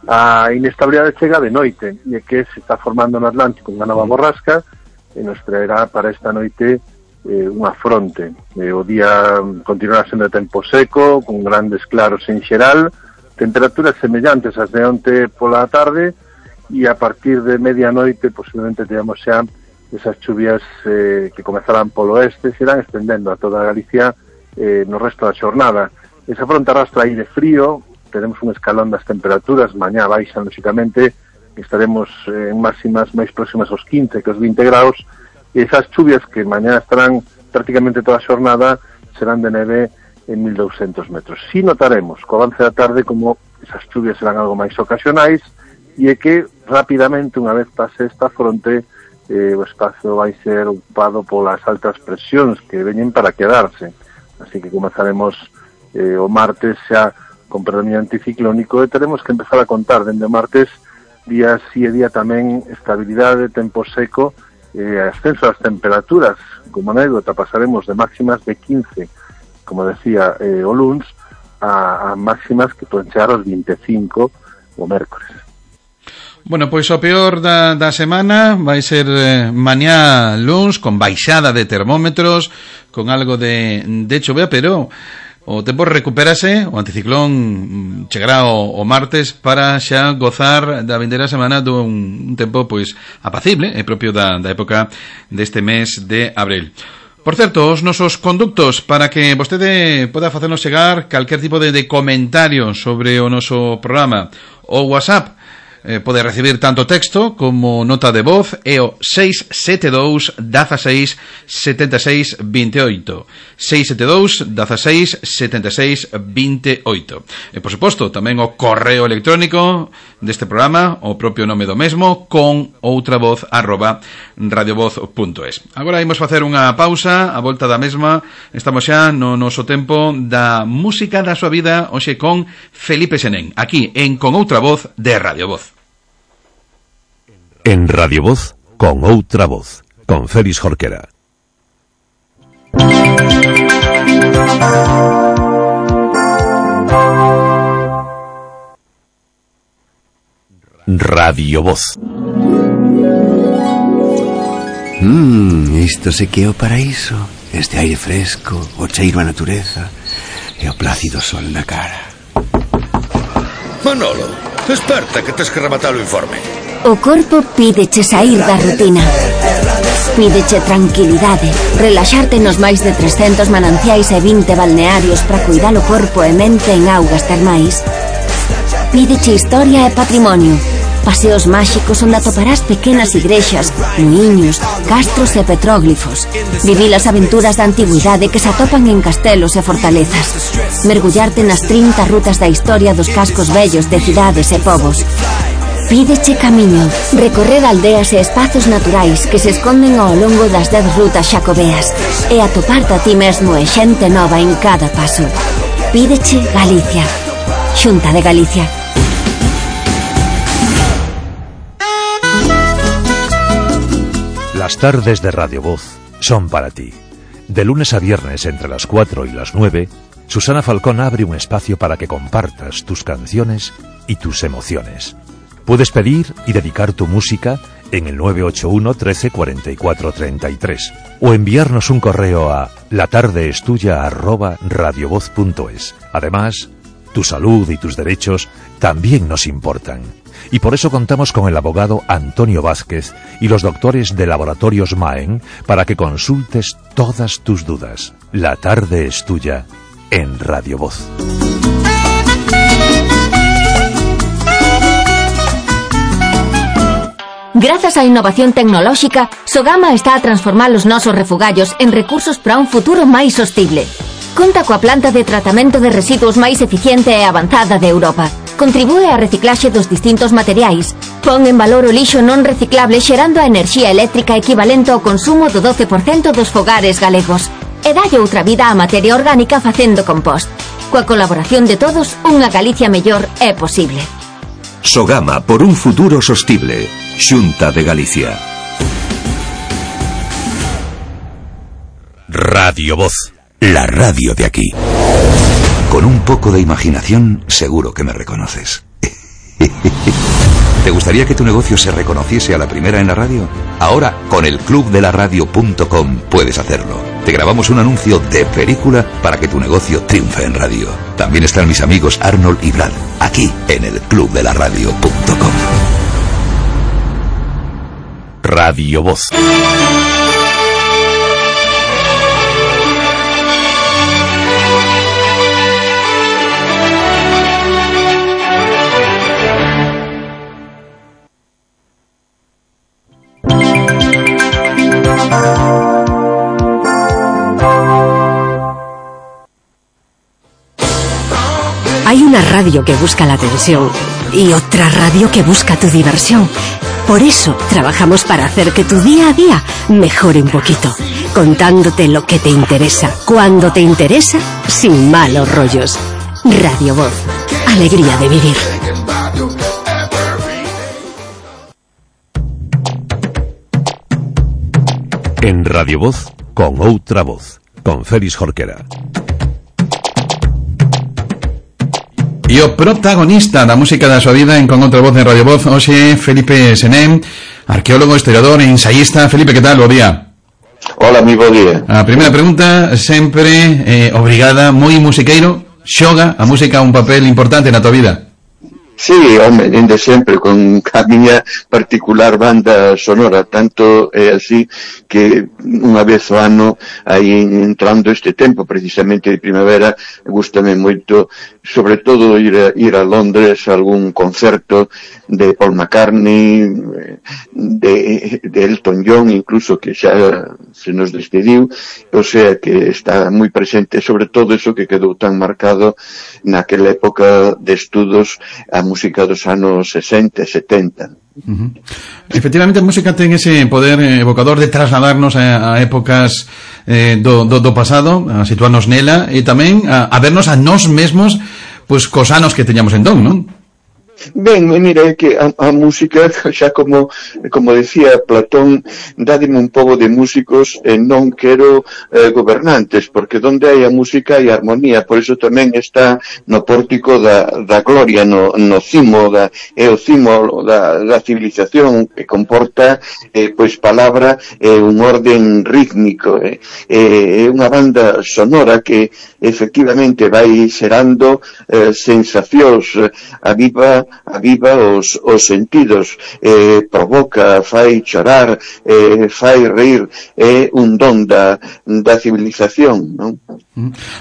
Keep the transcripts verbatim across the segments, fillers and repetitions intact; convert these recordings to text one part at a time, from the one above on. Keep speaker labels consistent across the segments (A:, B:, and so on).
A: A inestabilidade chega de noite, e é que se está formando no Atlántico unha nova borrasca, e nos traerá para esta noite eh, unha fronte. Eh, o día continuará sendo de tempo seco, con grandes claros en xeral, temperaturas semellantes ás de onte pola tarde, e a partir de medianoite posiblemente teamos xa esas chuvias eh, que comezarán polo oeste, se irán estendendo a toda Galicia eh, no resto da xornada. Esa fronte arrastra aire frío, teremos un escalón das temperaturas, mañá baixan, lóxicamente, estaremos en máximas máis próximas aos quince que aos vinte graus, e esas chuvias que mañá estarán prácticamente toda a xornada serán de neve en mil douscentos metros. Si notaremos, co avance da tarde, como esas chuvias serán algo máis ocasionais, e é que rapidamente, unha vez pase esta fronte, eh, o espazo vai ser ocupado polas altas presións que veñen para quedarse. Así que comezaremos eh, o martes xa con predominio anticiclónico, e teremos que empezar a contar dende o martes día sí e día tamén estabilidade, tempo seco e eh, ascenso das temperaturas. Como anécdota, pasaremos de máximas de quince, como decía eh, o luns, a, a máximas que poden chegar aos vinte e cinco o mércores.
B: Bueno, pois o peor da, da semana vai ser eh, mañá luns, con baixada de termómetros, con algo de, de chovea, pero o tempo recupérase, o anticiclón chegará o, o martes para xa gozar da vindeira semana dun un tempo pois apacible, é propio da, da época deste mes de abril. Por certo, os nosos conductos para que vostede poda facernos chegar calquer tipo de, de comentario sobre o noso programa. O WhatsApp eh, pode recibir tanto texto como nota de voz, é o seis sete dous, dieciséis, setenta e seis, vinte e oito. seis sete dous, dieciséis, setenta e seis, vinte e oito. E, por suposto, tamén o correo electrónico deste programa, o propio nome do mesmo, con outra voz, arroba radiovoz punto es. Agora imos facer unha pausa, a volta da mesma, estamos xa no noso tempo da música da súa vida, hoxe con Felipe Senén, aquí en Con Outra Voz de Radio Voz.
C: En Radio Voz, con outra voz, con Félix Jorquera. Radio Voz.
D: Mmm, isto se que é o paraíso. Este aire fresco, o cheiro a natureza e o plácido sol na cara.
E: Manolo, desperta que tes que rematar o informe.
F: O corpo pídeche sair da rutina. Pídeche tranquilidade, relaxarte nos máis de trescentos mananciais e vinte balnearios para cuidar o corpo e mente en augas termais. Pídeche historia e patrimonio, paseos máxicos onde atoparás pequenas igrexas, muiños, castros e petróglifos. Vivir as aventuras da antigüidade que se atopan en castelos e fortalezas. Mergullarte nas trinta rutas da historia dos cascos vellos de cidades e povos. Pídeche camiño, recorrer aldeas e espazos naturais que se esconden ao longo das dez rutas xacobeas e atoparte a ti mesmo e xente nova en cada paso. Pídeche Galicia. Xunta de Galicia.
C: Las tardes de Radio Voz son para ti. De lunes a viernes entre las cuatro y las nueve, Susana Falcón abre un espacio para que compartas tus canciones y tus emociones. Puedes pedir y dedicar tu música en el nueve ocho uno, trece, cuarenta y cuatro, treinta y tres o enviarnos un correo a latardeestuya arroba radiovoz punto es. Además, tu salud y tus derechos también nos importan. Y por eso contamos con el abogado Antonio Vázquez y los doctores de Laboratorios Maen para que consultes todas tus dudas. La tarde es tuya en Radio Voz.
F: Grazas á innovación tecnolóxica, Sogama está a transformar os nosos refugallos en recursos para un futuro máis sostible. Conta coa planta de tratamento de residuos máis eficiente e avanzada de Europa. Contribúe á reciclaxe dos distintos materiais. Pon en valor o lixo non reciclable xerando a enerxía eléctrica equivalente ao consumo do doce por cento dos fogares galegos. E dalle outra vida á materia orgánica facendo compost. Coa colaboración de todos, unha Galicia mellor é posible.
G: Sogama por un futuro sostible. Xunta de Galicia.
C: Radio Voz.
G: La radio de aquí. Con un poco de imaginación, seguro que me reconoces. ¿Te gustaría que tu negocio se reconociese a la primera en la radio? Ahora, con el club de la radio punto com puedes hacerlo. Te grabamos un anuncio de película para que tu negocio triunfe en radio. También están mis amigos Arnold y Brad, aquí en el club de la radio punto com.
C: Radio Voz.
H: Hay una radio que busca la atención y otra radio que busca tu diversión. Por eso trabajamos para hacer que tu día a día mejore un poquito, contándote lo que te interesa, cuando te interesa, sin malos rollos. Radio Voz, alegría de vivir.
C: En Radio Voz, con outra voz, con Félix Jorquera.
B: E o protagonista da música da súa vida en Con Outra Voz en Radio Voz, hoxe Felipe Senén, arqueólogo, historiador e ensayista. Felipe, que tal? Bo día.
I: Hola, mi bo día.
B: A primeira pregunta, sempre eh, obrigada, moi musiqueiro, xoga a música un papel importante na tua vida?
I: Sí, home, dende sempre, con a miña particular banda sonora, tanto é así que unha vez ao ano, aí entrando este tempo, precisamente de primavera, gústame moito, sobre todo ir a, ir a Londres a algún concerto de Paul McCartney, de, de Elton John, incluso que xa se nos despediu, o sea que está moi presente, sobre todo eso que quedou tan marcado naquela época de estudos a música dos anos sesenta e setenta.
B: Uh-huh. Efectivamente, a música ten ese poder evocador de trasladarnos a, a épocas eh, do, do, do pasado, a situarnos nela e tamén a, a vernos a nós mesmos pois cos anos que teñamos entón, non?
I: Ben, mira, é que a, a música, xa como como decía Platón, dádeme un pouco de músicos e non quero eh, gobernantes, porque onde hai a música hai armonía, por iso tamén está no pórtico da, da gloria, no, no cimo, da, é o cimo da, da civilización que comporta eh, pois palabra e eh, un orden rítmico, eh, é unha banda sonora que efectivamente vai xerando eh, sensacións, eh, aviva aviva os, os sentidos, eh, provoca, fai chorar, eh, fai reír, é un don da, da civilización, non?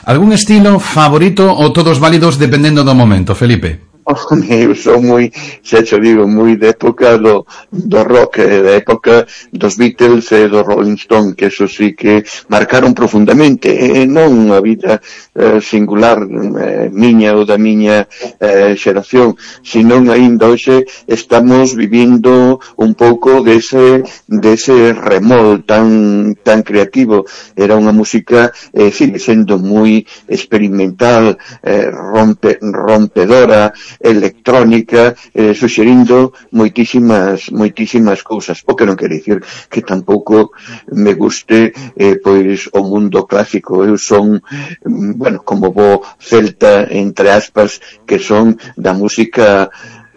B: Algún estilo favorito ou todos válidos dependendo do momento, Felipe?
I: Eu sou moi, xa te digo, moi de época do, do rock, da época dos Beatles e do Rolling Stone, que eso sí que marcaron profundamente, e non a vida eh, singular eh, miña ou da miña eh, xeración, senón aínda hoxe estamos vivindo un pouco dese, dese remol tan, tan creativo. Era unha música, eh, sigue sendo moi experimental, eh, rompe, rompedora, electrónica, eh, suxerindo moitísimas moitísimas cousas, o que non quere dicir que tampouco me guste eh, pois o mundo clásico. Eu son, bueno, como bo celta, entre aspas, que son da música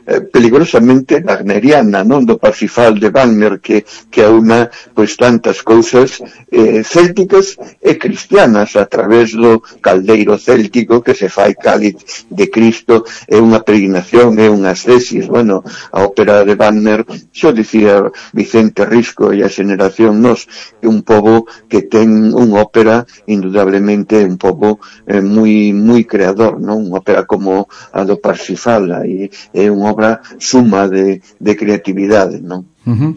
I: eh, peligrosamente wagneriana, non? Do Parsifal de Wagner, que, que aúna pois tantas cousas eh, célticas e cristianas a través do caldeiro céltico que se fai cáliz de Cristo, é unha peregrinación, é unhas tesis. Bueno, a ópera de Wagner, xo dicía Vicente Risco e a xeneración nos, é un pobo que ten unha ópera indudablemente un pobo eh, moi moi creador, non? Unha ópera como a do Parsifal, e é unha obra suma de, de creatividade, non?
B: Uh-huh.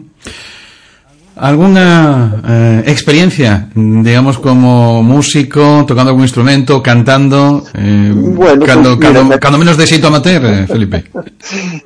B: ¿Alguna eh, experiencia, digamos, como músico, tocando algún instrumento, cantando, eh, bueno, cando, pues, cando, mira, cando menos de xeito amateur, eh, Felipe?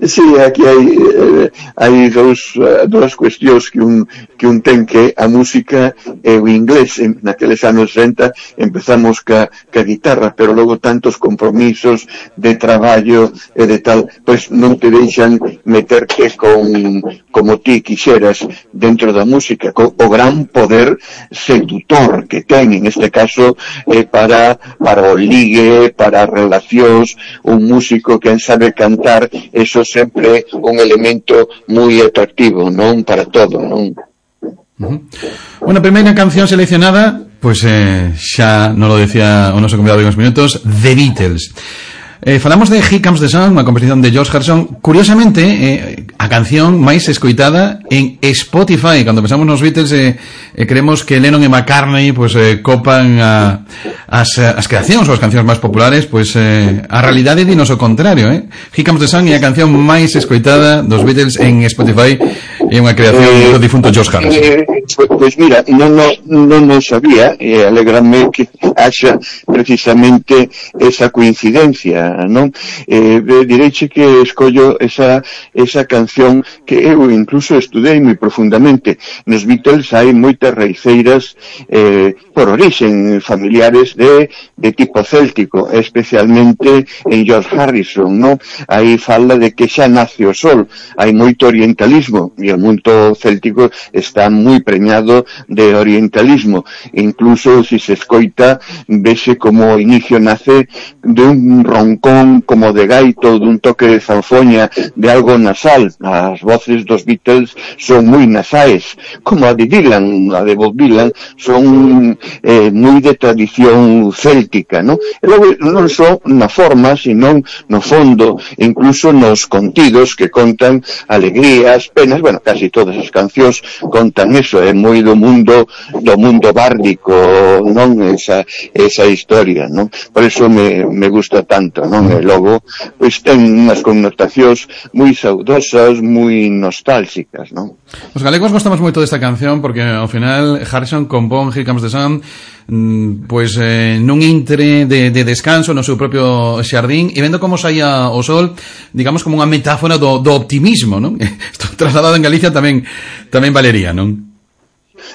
I: Sí, aquí hai, eh, hai dos, uh, dos cuestións que un, que un ten, que a música e o inglés. Naqueles anos sesenta empezamos ca, ca guitarra, pero logo tantos compromisos de traballo e de tal, pois non te deixan meterte con, como ti quixeras dentro da música. música, co, o gran poder seductor que ten, en este caso, eh, para, para o ligue, para relacións, un músico que sabe cantar, eso sempre un elemento moi atractivo, non? Para todo, non?
B: Uh-huh. Bueno, primeira canción seleccionada, pues eh, xa non lo decía o noso convidado de uns minutos, The Beatles. Eh, falamos de Here Comes the Sun, unha composición de George Harrison. Curiosamente, eh, a canción máis escoitada en Spotify. Cando pensamos nos Beatles, eh, eh, creemos que Lennon e McCartney pues, eh, copan a, as, as creacións ou as cancións máis populares, pues eh, a realidade dinos o contrario. Eh? Here Comes the Sun é a canción máis escoitada dos Beatles en Spotify, é unha creación do difunto George Harrison.
I: Eh, pues, pues mira, non no, no, no sabía, e eh, alegrame que haxa precisamente esa coincidencia, non? Eh, direiche que escollo esa, esa canción que eu incluso estudei moi profundamente. Nos Beatles hai moitas raiceiras eh, por orixen familiares de, de tipo céltico, especialmente en George Harrison, non? Aí fala de que xa nace o sol, hai moito orientalismo, e o mundo céltico está moi preñado de orientalismo. Incluso, se se escoita, vese como o inicio nace de un roncón como de gaito, dun toque de zanfoña, de algo nasal. As voces dos Beatles son moi nasais, como a de Dylan, a de Bob Dylan, son eh, moi de tradición céltica, non? E logo non só na forma, sino no fondo, incluso nos contidos que contan alegrías, penas, bueno, casi todas as cancións contan eso, é moi do mundo do mundo bárdico, non? Esa, esa historia, non? Por eso me, me gusta tanto, non? E logo, pois ten unhas connotacións moi saudosas, moi nostálxicas, non?
B: Os galegos gostamos moito desta canción porque ao final Harrison compón Here Comes the Sun pois eh, nun intre de, de descanso no seu propio xardín e vendo como saía o sol, digamos como unha metáfora do, do optimismo, non? Isto trasladado en Galicia tamén tamén valería, non?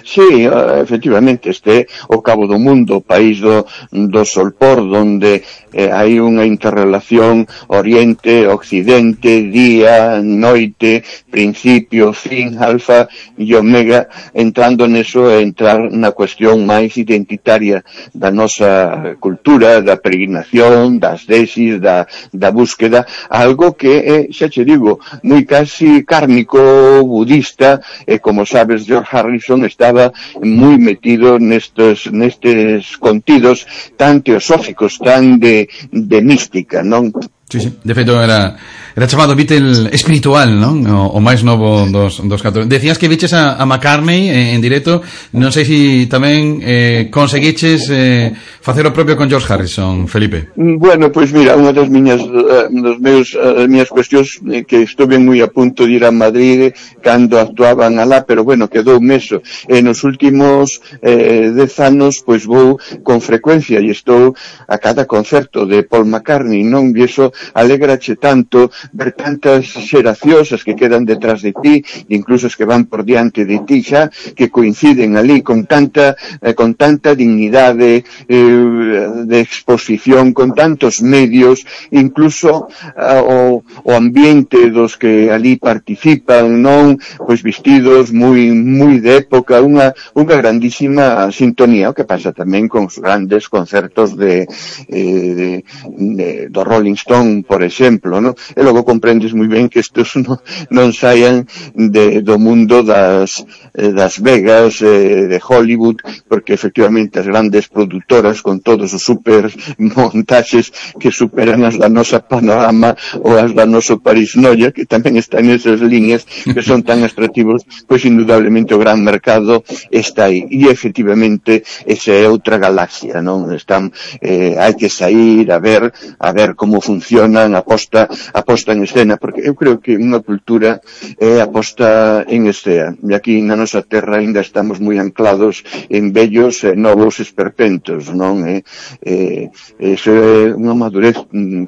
I: Sí, efectivamente, este o cabo do mundo, o país do, do solpor, donde eh, hai unha interrelación oriente, occidente, día, noite, principio, fin, alfa e omega, entrando neso e entrar na cuestión máis identitaria da nosa cultura, da peregrinación, das tesis, da, da búsqueda, algo que é, xa che digo, moi casi kármico, budista, e como sabes, George Harrison estaba moi metido nestes, nestes contidos tan teosóficos, tan de, de mística, non?
B: Sí, sí, de feito era era chamado Beatle espiritual, non? O, o máis novo dos, dos católicos. Decías que viches a, a McCartney en, en directo, non sei se tamén eh, conseguiches eh, facer o propio con George Harrison, Felipe.
I: Bueno, pois pues mira, unha das miñas uh, dos meus uh, miñas cuestións eh, que estuve moi a punto de ir a Madrid cando actuaban alá, pero bueno, quedou meso. E nos últimos eh, dez anos, pois pues, vou con frecuencia e estou a cada concerto de Paul McCartney, non? E iso alégrache tanto ver tantas xeracións as que quedan detrás de ti, incluso as que van por diante de ti xa, que coinciden ali con tanta eh, con tanta dignidade eh, de exposición, con tantos medios, incluso eh, o, o ambiente dos que ali participan, non? Pois vestidos moi moi de época, unha unha grandísima sintonía, o que pasa tamén con os grandes concertos de, eh, de, de do Rolling Stone, por exemplo, ¿no? E logo comprendes moi ben que estes non, non saian de, do mundo das, eh, das Vegas, eh, de Hollywood, porque efectivamente as grandes produtoras con todos os super montaxes que superan as da nosa Panorama ou as da noso Paris Noia, que tamén están nesas líneas que son tan atractivos, pois indudablemente o gran mercado está aí. E efectivamente esa é outra galaxia, non? Están, eh, hai que sair a ver, a ver como funciona a posta, a posta en escena, porque eu creo que unha cultura é a posta en escena, e aquí na nosa terra ainda estamos moi anclados en vellos e novos esperpentos, non? E, e, eso é unha madurez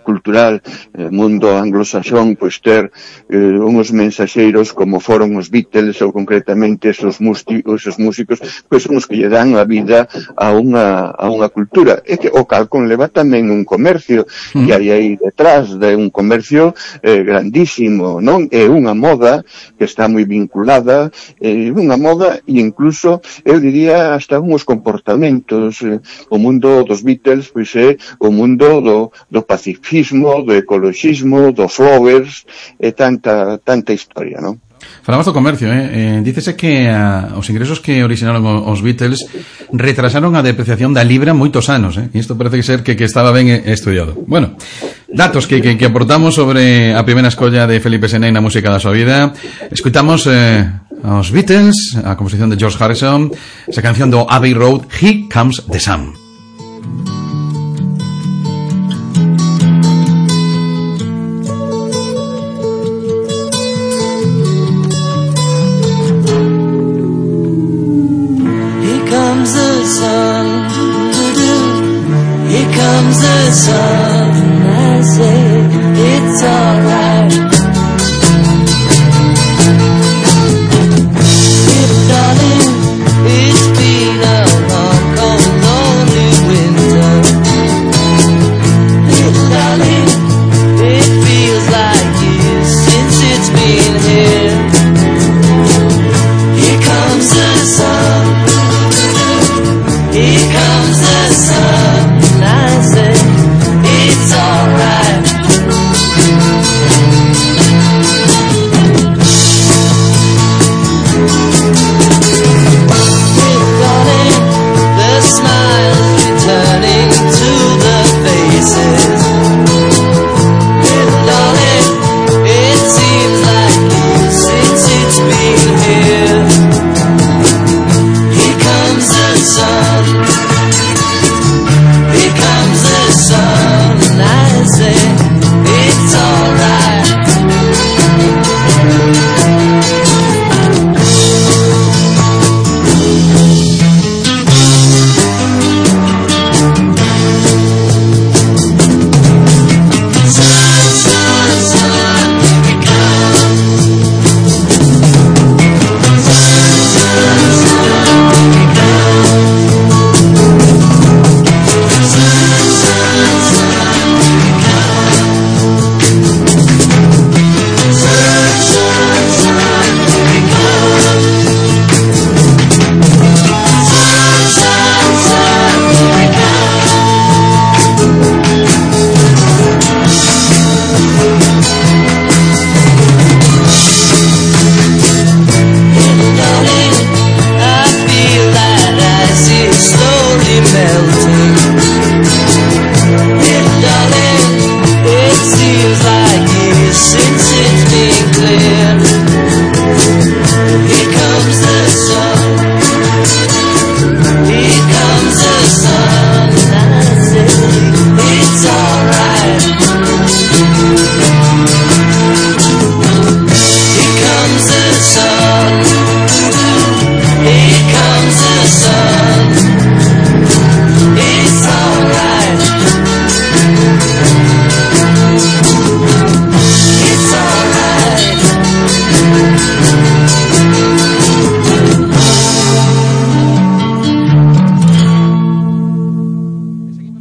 I: cultural, eh, mundo anglosaxón, pois ter eh, uns mensaxeiros como foron os Beatles ou concretamente esos, músicos, esos músicos, pois son os que lle dan a vida a unha, a unha cultura, e que o cal conleva tamén un comercio, mm. que hai aí detrás de un comercio eh, grandísimo, non? É unha moda que está moi vinculada, é eh, unha moda e incluso, eu diría, hasta uns comportamentos. Eh, o mundo dos Beatles, pois é o mundo do, do pacifismo, do ecologismo, dos flowers, e tanta, tanta historia, non?
B: Falamos do comercio, eh? eh dícese que a, os ingresos que originaron os Beatles retrasaron a depreciación da libra moitos anos, eh? E isto parece ser que, que estaba ben estudiado. Bueno, datos que, que, que aportamos sobre a primeira escolla de Felipe Senén na música da súa vida. Escuitamos eh, aos Beatles, a composición de George Harrison, esa canción do Abbey Road, Here Comes the Sun.
J: Here comes the sun, I say it's alright. If darling, it's been a long, cold, lonely winter. If darling, it feels like years since it's been here. Here comes the sun. Here comes the sun. I say it's alright. We're darling, the smiles returning to the faces. We're darling, it seems like years since it's been here. Here comes the sun. Here comes the sun, and I say it's alright. Sun, sun, sun, here it comes. Sun, sun, sun, here it comes.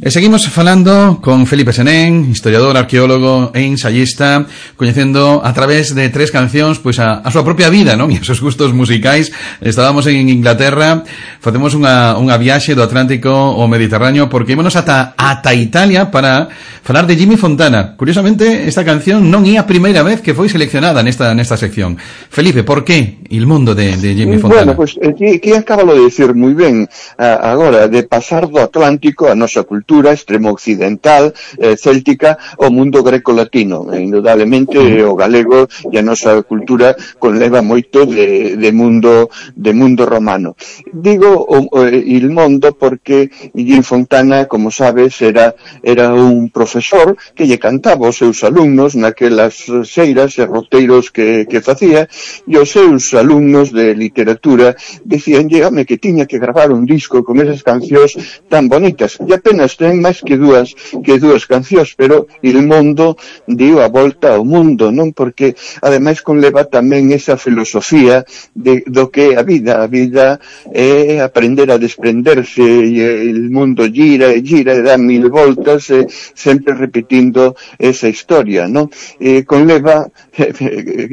B: E seguimos falando con Felipe Senén, historiador, arqueólogo e ensayista, coñecendo a través de tres cancións pois a, a súa propia vida, non? E os seus gustos musicais. Estábamos en Inglaterra, facemos unha, unha viaxe do Atlántico ao Mediterráneo, porque ímonos ata, ata Italia para falar de Jimmy Fontana. Curiosamente, esta canción non é a primeira vez que foi seleccionada nesta, nesta sección. Felipe, por que il mundo de, de Jimmy Fontana?
I: Bueno, pues, que, que acabalo de decir moi ben agora, de pasar do Atlántico a nosa cultura extremo occidental, eh, céltica, o mundo greco-latino. E, indudablemente, o galego e a nosa cultura conleva moito de, de mundo de mundo romano. Digo o, o, il mondo porque Jimmy Fontana, como sabes, era era un profesor que lle cantaba aos seus alumnos naquelas xeiras e roteiros que, que facía, e os seus alumnos de literatura dicían, home, que tiña que gravar un disco con esas cancións tan bonitas, e apenas ten máis que dúas que dúas cancións, pero Il Mondo dio a volta ao mundo, non? Porque ademais conleva tamén esa filosofía de, do que a vida, a vida é aprender a desprenderse, e el mundo gira e gira e dá mil voltas, e sempre repetindo esa historia, non? E conleva,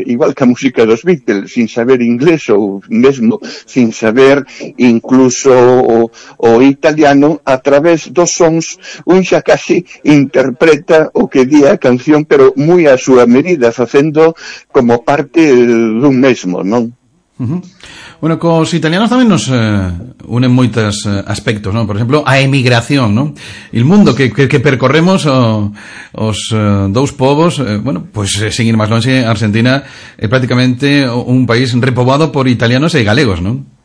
I: igual que a música dos Beatles, sin saber inglés ou mesmo sin saber incluso o, o italiano, a través dos sons un xa casi interpreta o que di a canción, pero moi a súa medida, facendo como parte dun mesmo, non?
B: Uh-huh. Bueno, cos italianos tamén nos eh, unen moitos eh, aspectos, non? Por exemplo, a emigración, non? El mundo que, que, que percorremos o, os eh, dous povos, eh, bueno, pois pues, eh, sin ir máis longe, Argentina é prácticamente un país repoboado por italianos e galegos, non?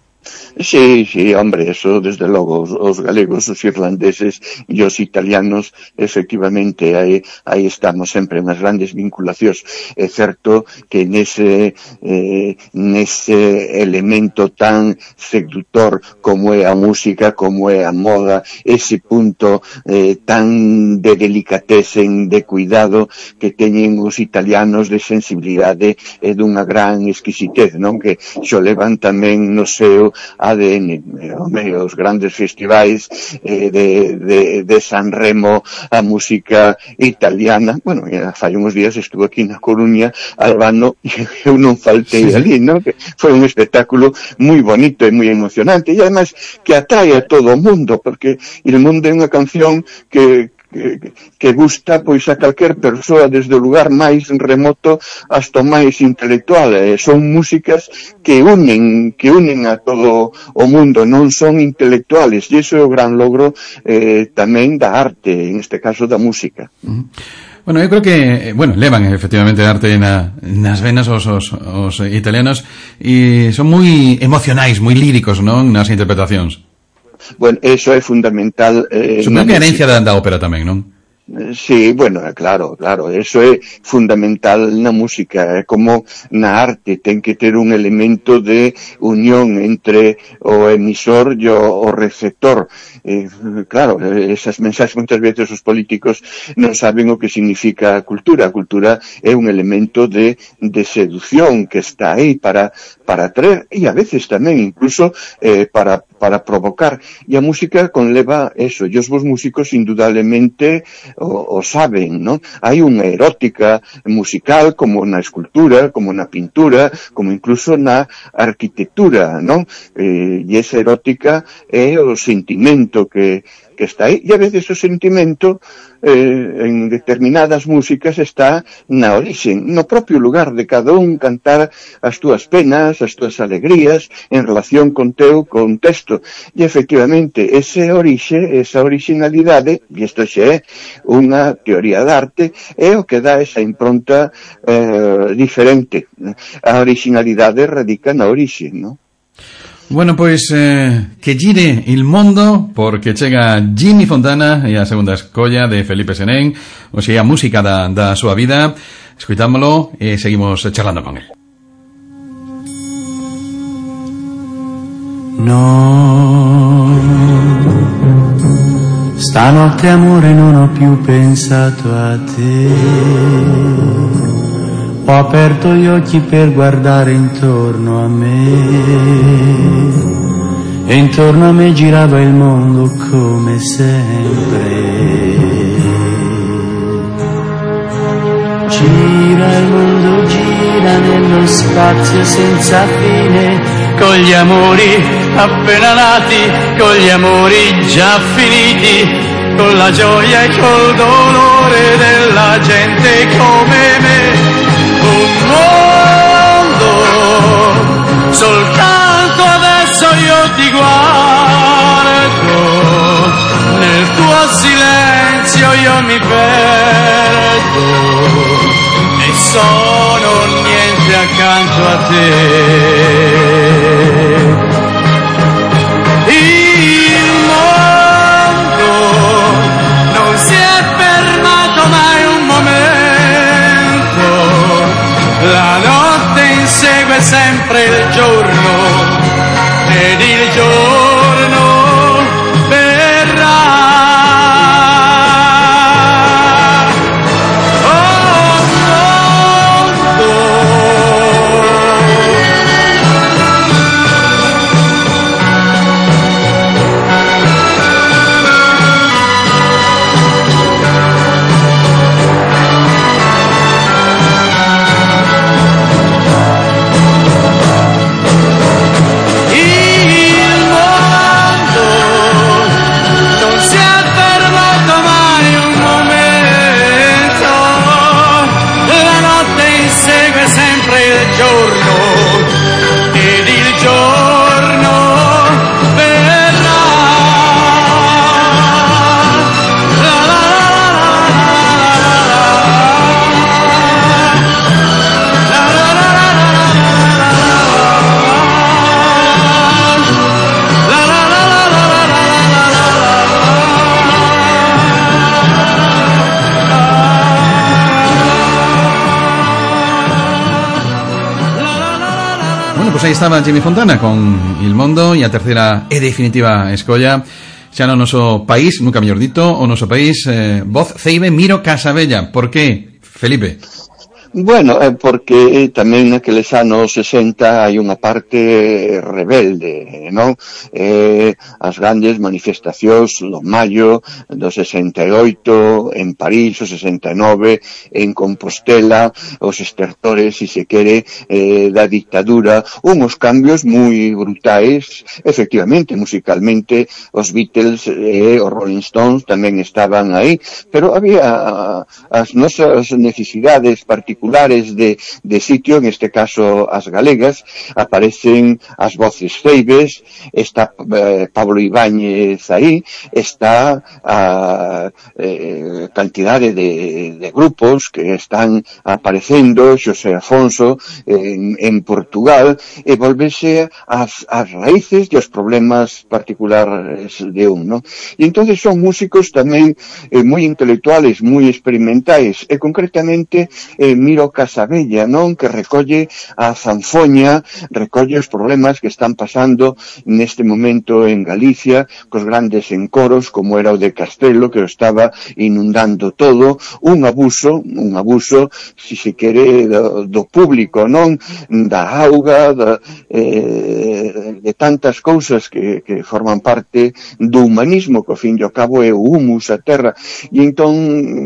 I: Sí, sí, hombre, eso desde logo, os, os galegos, os irlandeses e os italianos, efectivamente, aí, aí estamos sempre unhas grandes vinculacións. É certo que nese, eh, nese elemento tan seductor como é a música, como é a moda, ese punto eh, tan de delicatesen, de cuidado que teñen os italianos, de sensibilidade e dunha gran exquisitez, non? Que xo levan tamén no seu A D N, eh, os grandes festivais eh, de, de, de Sanremo, a música italiana. Bueno, fai uns días estuve aquí na Coruña, Albano, e eu non faltei sí, ali, non? Que foi un espectáculo moi bonito e moi emocionante, e ademais que atrae a todo o mundo, porque El Mundo é unha canción que Que, que gusta pois a calquer persoa, desde o lugar máis remoto hasta o máis intelectual. Eh, son músicas que unen que unen a todo o mundo, non son intelectuales, e iso é o gran logro eh, tamén da arte, en este caso da música.
B: Uh-huh. Bueno, eu creo que, bueno, levan efectivamente arte na, nas venas os, os, os italianos, e son moi emocionais, moi líricos, non, nas interpretacións.
I: Bueno, eso é fundamental. Eh,
B: Supongo que a herencia da, da ópera tamén, non?
I: Sí, bueno, claro, claro, eso é fundamental na música, é como na arte, ten que ter un elemento de unión entre o emisor e o, o receptor. Eh, claro, esas mensaxes moitas veces os políticos non saben o que significa a cultura. A cultura é un elemento de, de seducción que está aí para, para atraer, e a veces tamén incluso eh, para, para provocar. E a música conleva eso, e os vos músicos indudablemente O, o saben, non? Hai unha erótica musical como na escultura, como na pintura, como incluso na arquitectura, non? Eh, e esa erótica é o sentimento que, que está aí, e a veces o sentimento eh, en determinadas músicas está na orixen, no propio lugar de cada un, cantar as túas penas, as túas alegrías en relación con teu contexto, e efectivamente ese orixe, esa originalidade, e isto xa é unha teoría de arte, é o que dá esa impronta eh, diferente. A originalidade radica na orixe, non?
B: Bueno, pois eh, que gire il mondo, porque chega Jimmy Fontana e a segunda escolla de Felipe Senén, ou sea, a música da, da súa vida. Escuitámolo e seguimos charlando con él.
J: No, stanotte amore non ho più pensato a te, ho aperto gli occhi per guardare intorno a me, e intorno a me girava il mondo come sempre. Gira il mondo, gira nello spazio senza fine, con gli amori appena nati, con gli amori già finiti, con la gioia e col dolore della gente come me. Un mondo, soltanto adesso io ti guardo, nel tuo silenzio io mi perdo e sono niente accanto a te. Il mondo non si è fermato mai un momento, la notte insegue sempre il giorno ed il giorno verrà.
B: pois aí estaba Jimmy Fontana con Il Mondo, e a terceira e definitiva escolla xa no noso país, nunca mellor dito, o noso país, eh, voz Ceibe Miro Casabella. Por que, Felipe?
I: Bueno, é porque tamén naqueles anos sesenta hai unha parte rebelde, non? Eh, as grandes manifestacións do maio do sesenta e oito en París, o sesenta e nove en Compostela, os estertores, se se quere, eh, da dictadura, unhos cambios moi brutais, efectivamente, musicalmente, os Beatles e eh, os Rolling Stones tamén estaban aí, pero había as nosas necesidades particulares de, de sitio, en este caso as galegas, aparecen as voces ceibes, está eh, Pablo Ibáñez aí, está a eh, cantidade de, de grupos que están aparecendo, Xosé Afonso en, en Portugal, e volvese as, as raíces e os problemas particulares de un, ¿no? E entonces son músicos tamén eh, moi intelectuales, moi experimentais, e concretamente eh, Miro Casabella, non? Que recolle a zanfoña, recolle os problemas que están pasando neste momento en Galicia, cos grandes encoros, como era o de Castelo, que o estaba inundando todo, un abuso, un abuso, si se quere, do, do público, non? Da auga, da, eh, de tantas cousas que, que forman parte do humanismo, que ao fin e ao cabo é o humus, a terra. E entón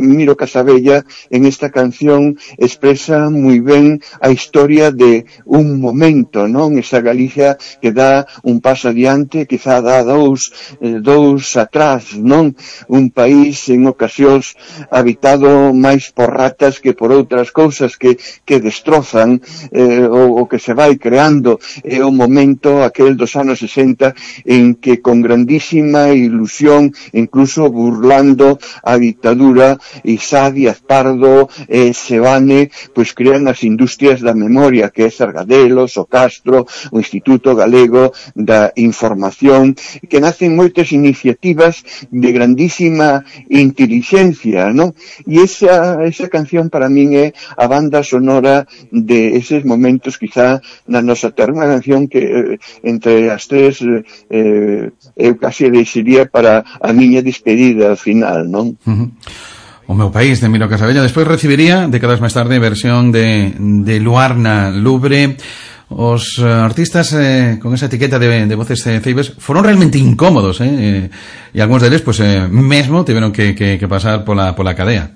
I: Miro Casabella en esta canción expresa moi ben a historia de un momento, non? Esa Galicia que dá un paso adiante, quizá dá dous, eh, dous atrás, non? Un país en ocasións habitado máis por ratas que por outras cousas que, que destrozan eh, o, o que se vai creando. É o momento aquel dos anos sesenta en que con grandísima ilusión, incluso burlando a dictadura, Isá Díaz Pardo e eh, Sebane, pois crean as industrias da memoria, que é Sargadelos, o Castro, o Instituto Galego da Información, que nacen moitas iniciativas de grandísima inteligencia, non? E esa, esa canción para min é a banda sonora de eses momentos, quizá na nosa terra, unha canción que eh, entre as tres eh, eu casi deixaría para a miña despedida final, non?
B: Uh-huh. O meu país, de Miro Casabella. Despois recibiría, décadas máis tarde, versión de, de Luarna Lubre. Os uh, artistas eh, con esa etiqueta de, de voces eh, ceibes foron realmente incómodos, eh? E algúns deles, pues, eh, mesmo tiveron que, que, que pasar pola, pola cadea.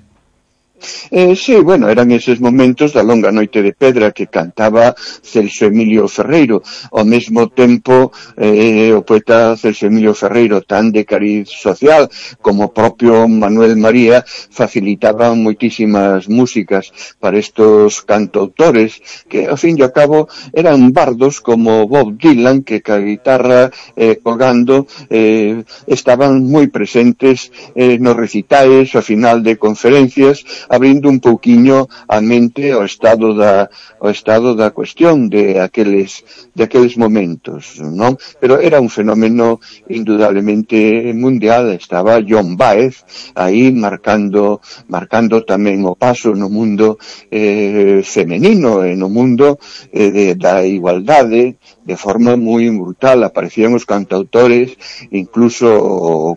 I: Eh, sí, bueno, eran eses momentos da longa noite de pedra que cantaba Celso Emilio Ferreiro. Ao mesmo tempo, eh, o poeta Celso Emilio Ferreiro, tan de cariz social como o propio Manuel María, facilitaban moitísimas músicas para estos cantautores que, ao fin e ao cabo, eran bardos como Bob Dylan, que ca guitarra eh, colgando eh, estaban moi presentes eh, nos recitais, ao final de conferencias, abrindo un pouquiño a mente ao estado da ao estado da cuestión de aqueles de aqueles momentos, non? Pero era un fenómeno indudablemente mundial. Estaba John Baez aí marcando marcando tamén o paso no mundo eh, femenino e no mundo eh, de, da igualdade de forma moi brutal. Aparecían os cantautores, incluso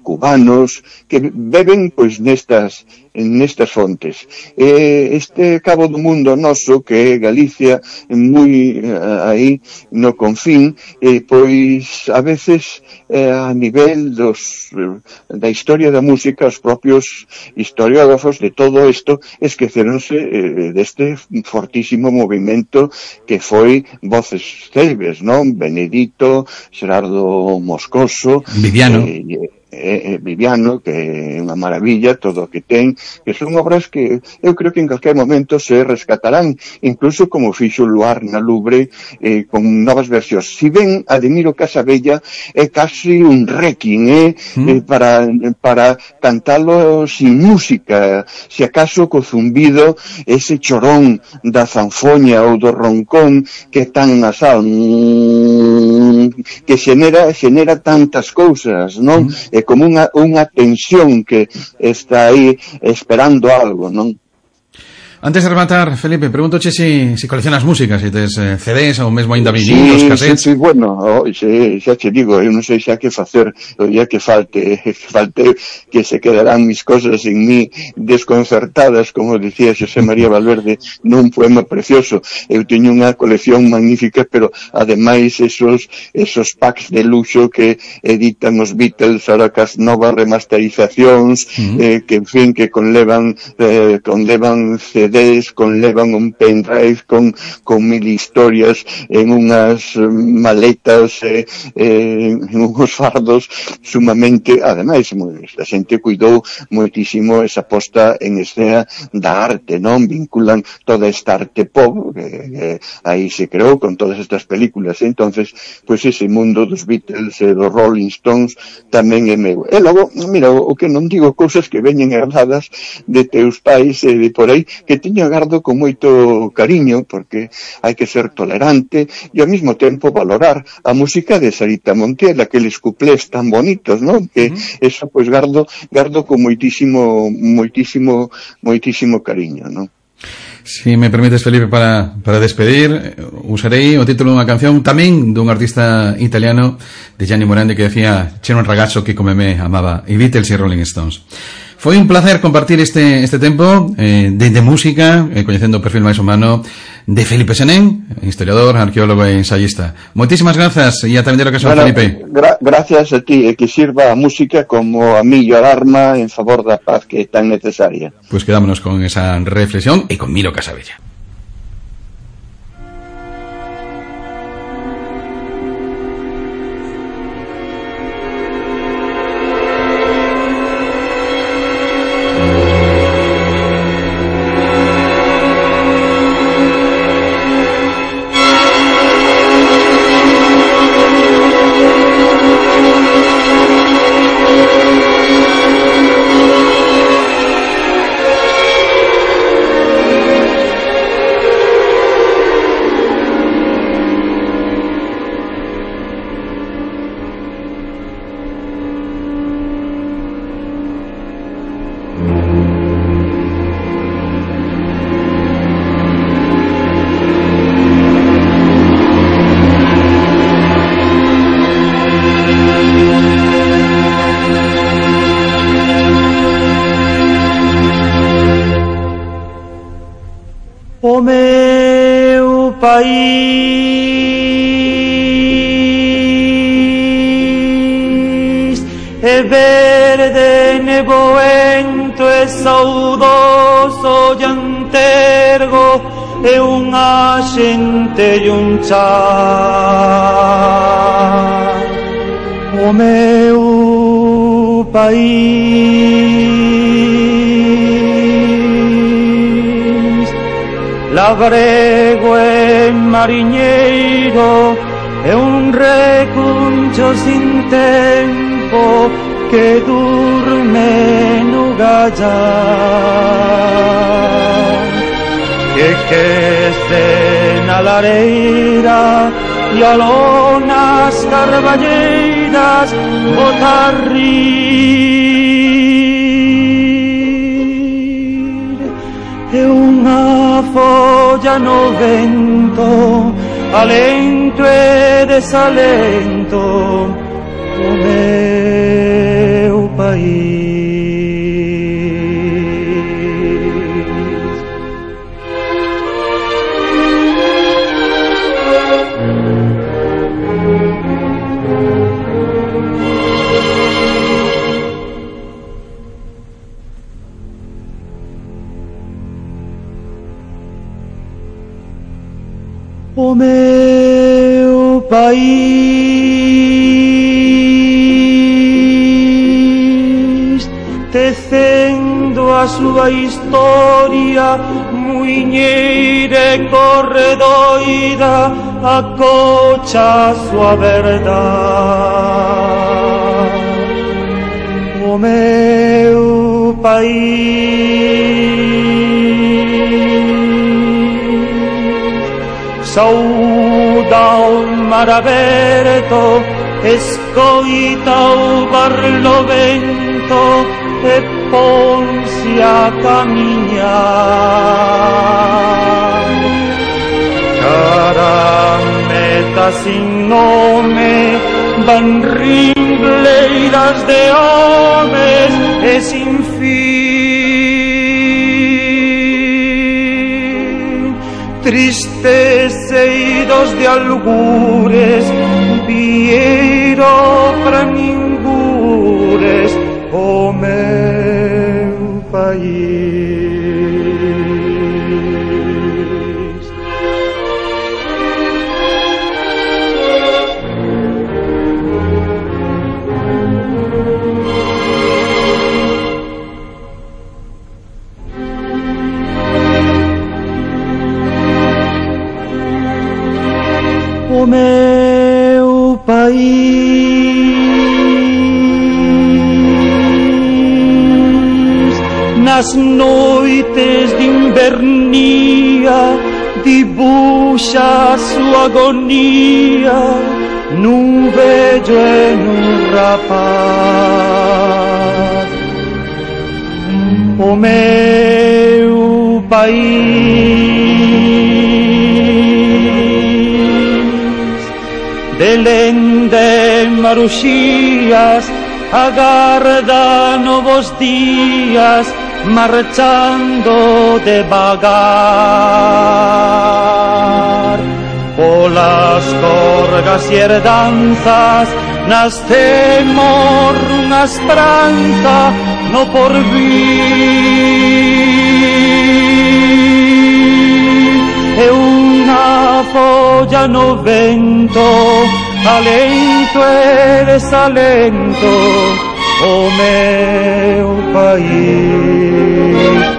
I: cubanos, que beben pois nestas nestas fontes. Eh, este cabo do mundo noso, que é Galicia, moi eh, aí no confín, eh, pois a veces eh, a nivel dos eh, da historia da música, os propios historiógrafos de todo isto esqueceronse eh, deste fortísimo movimento que foi Voces Ceibes, non? Benedito, Xerardo Moscoso,
B: Viviano,
I: eh, eh, Viviano, que é unha maravilla todo o que ten, que son obras que eu creo que en calquer momento se rescatarán, incluso como fixo Luarna Lubre, eh, con novas versións. Si ben a de Miro Casabella é casi un requiem, eh, mm. eh, para, para cantalo sin música, se acaso co zumbido, ese chorón da zanfoña ou do roncón que é tan nasal, mm, que xenera, xenera tantas cousas, non? Mm. É como unha, unha tensión que está aí esperando algo, non?
B: Antes de rematar, Felipe, pregúntoche si, si coleccionas música, si tes eh, C Ds ou mesmo ainda vinilos,
I: sí,
B: cassettes.
I: Sí, sí, bueno, oh, sí, xa te digo, eu non sei xa que facer o día que falte, que falte que se quedarán mis cosas en mí desconcertadas, como decía Xosé María Valverde nun poema precioso. Eu teño unha colección magnífica, pero ademais esos esos packs de luxo que editan os Beatles ahora cas novas remasterizacións, uh-huh. eh, que en fin, que conlevan eh, conlevan C Ds, conlevan un pendrive con, con mil historias en unhas maletas, eh, eh, en unhos fardos sumamente, ademais, a xente cuidou moitísimo esa posta en escena da arte, non? Vinculan toda esta arte pop, que eh, aí se creou con todas estas películas, eh? Entonces, pois pues ese mundo dos Beatles e eh, dos Rolling Stones tamén é meu. E logo, mira, o que non digo, cousas que veñen herdadas de teus pais e de por aí, que tiño agardo con moito cariño, porque hai que ser tolerante e ao mesmo tempo valorar a música de Sarita Montiel, aqueles cuplés tan bonitos, non? Que uh-huh. eso, pois, gardo, gardo con moitísimo, moitísimo, moitísimo cariño, non?
B: Si me permites, Felipe, para, para despedir, usarei o título dunha canción tamén dun artista italiano, de Gianni Morandi, que decía: "C'era un ragazzo que come me amaba i Beatles e Rolling Stones". Foi un placer compartir este este tempo eh, de, de música, eh, coñecendo o perfil máis humano de Felipe Senén, historiador, arqueólogo e ensayista. Moitísimas grazas e ata vendera ocasión, bueno, Felipe.
I: Gra gracias a ti, e que sirva a música como a millor arma en favor da paz que é tan necesaria.
B: Pois pues quedámonos con esa reflexión e con Milo Casabella.
J: O meu país é verde, nevoento e saudoso e antergo, é unha xente e un char. O meu país labrego e mariñeiro, é un recuncho sin tempo que durme no gallar, que que na lareira e aló nas carballeiras botar rir, é unha folla no vento, alento e desalento, o meu país. O meu país, tecendo a súa historia, muiñeira e corredoira, acocha a súa verdade. O meu país sauda o mar aberto, escoita o barlovento e ponse a camiñar cara meta sin nome, van ringleiras de homes e sin fin, tristes eidos de algures, vieiro para ningures o meu país. O meu país, nas noites de invernía, dibuxa a súa agonía nun vello e nun rapaz. O meu país, de lende maruxías, agarda novos días, marchando devagar. Polas corgas e herdanzas nacemos unha esperanza no porvir, e unha folla no vento, alento e desalento, o meu país.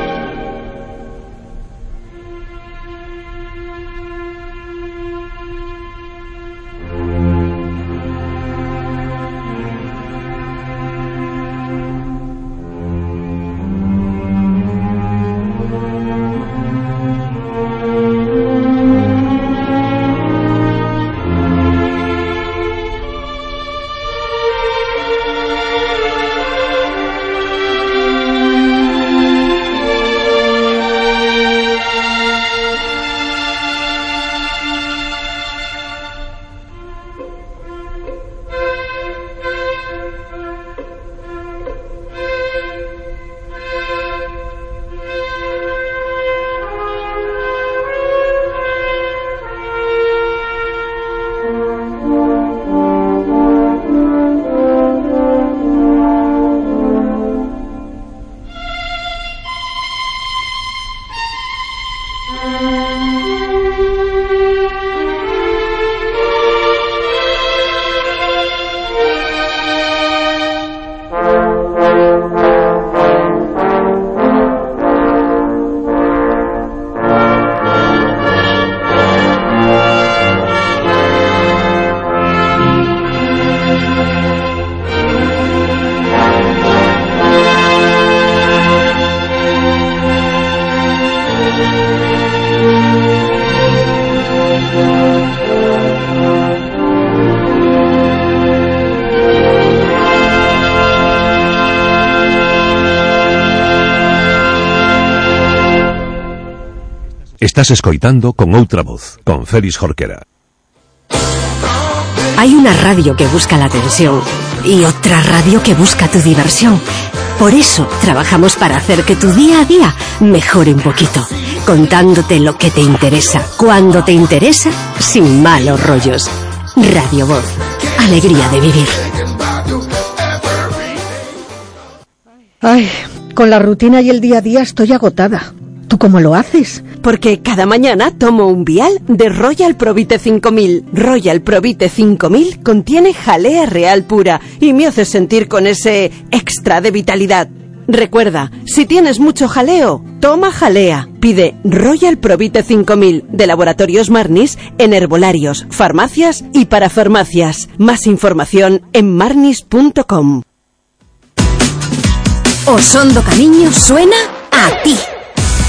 C: Estás escoitando Con Outra Voz, con Félix Jorquera.
H: Hay una radio que busca la atención y otra radio que busca tu diversión. Por eso trabajamos para hacer que tu día a día mejore un poquito, contándote lo que te interesa, cuando te interesa, sin malos rollos. Radio Voz, alegría de vivir.
K: Ay, con la rutina y el día a día estoy agotada. ¿Tú cómo lo haces?
H: Porque cada mañana tomo un vial de Royal Provite cinco mil. Royal Provite cinco mil contiene jalea real pura y me hace sentir con ese extra de vitalidad. Recuerda, si tienes mucho jaleo, toma jalea. Pide Royal Provite cinco mil de Laboratorios Marnis en herbolarios, farmacias y parafarmacias. Más información en marnis punto com.
F: Osondo Camiño suena a ti.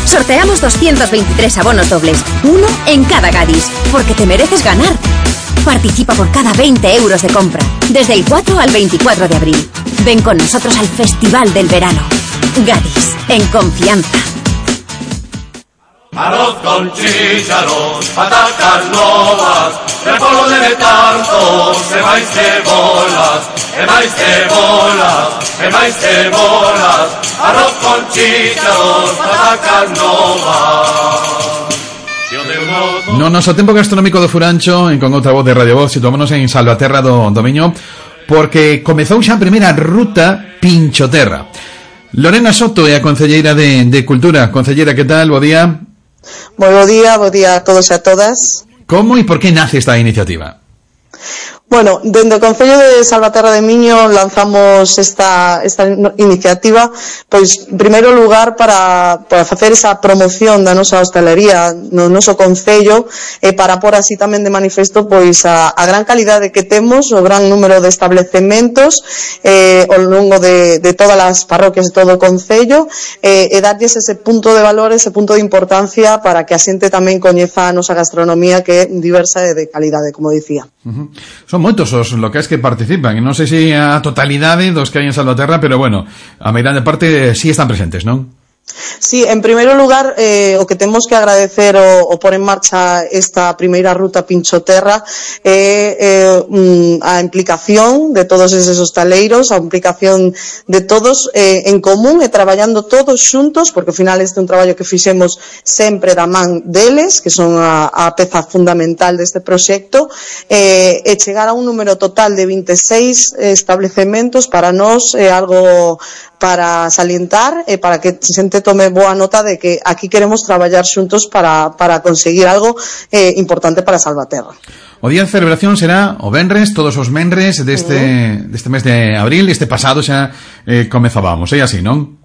F: Sorteamos doscientos veintitrés abonos dobles, uno en cada Gadis, porque te mereces ganar. Participa por cada veinte euros de compra, desde el cuatro al veinticuatro de abril. Ven con nosotros al Festival del Verano. Gadis, en confianza.
L: Arroz con chícharos, patacas novas, repollo de tanto, se vais cebolas, e máis cebolas, e máis cebolas, arroz con chícharos, patacas novas.
B: No noso tempo gastronómico do Furancho, en con outra voz de Radio Voz, situámonos en Salvaterra do Domiño, porque comezou xa a primeira ruta Pinchoterra. Lorena Soto é a concelleira de, de Cultura. Concelleira, que tal? Bo día.
M: Moi bo día, bo día a todos e a todas.
B: Como e por que nace esta iniciativa?
M: Bueno, dende o Concello de Salvaterra de Miño lanzamos esta, esta iniciativa, pois, en primeiro lugar, para, para facer esa promoción da nosa hostalería no noso Concello, e para pôr así tamén de manifesto, pois, a, a gran calidade que temos, o gran número de establecementos eh, ao longo de, de todas as parroquias de todo o Concello, eh, e darlles ese punto de valor, ese punto de importancia para que a xente tamén coñeza a nosa gastronomía, que é diversa e de calidade, como dicía.
B: Uh-huh. Son moitos os locais que participan, e non sei se a totalidade dos que hai en Salvaterra, pero bueno, a meirande parte sí están presentes, non?
M: Sí, en primeiro lugar, eh, o que temos que agradecer o, o por en marcha esta primeira ruta Pinchoterra é eh, eh, a implicación de todos eses hostaleiros, a implicación de todos eh, en común e traballando todos xuntos, porque ao final este é un traballo que fixemos sempre da man deles, que son a, a peza fundamental deste proxecto, eh, e chegar a un número total de vinte e seis establecementos para nós é algo para salientar e para que a xente tome boa nota de que aquí queremos traballar xuntos para, para conseguir algo eh, importante para Salvaterra.
B: O día de celebración será o venres, todos os venres deste, uh-huh. deste mes de abril. Este pasado xa eh, comezábamos, é así, non?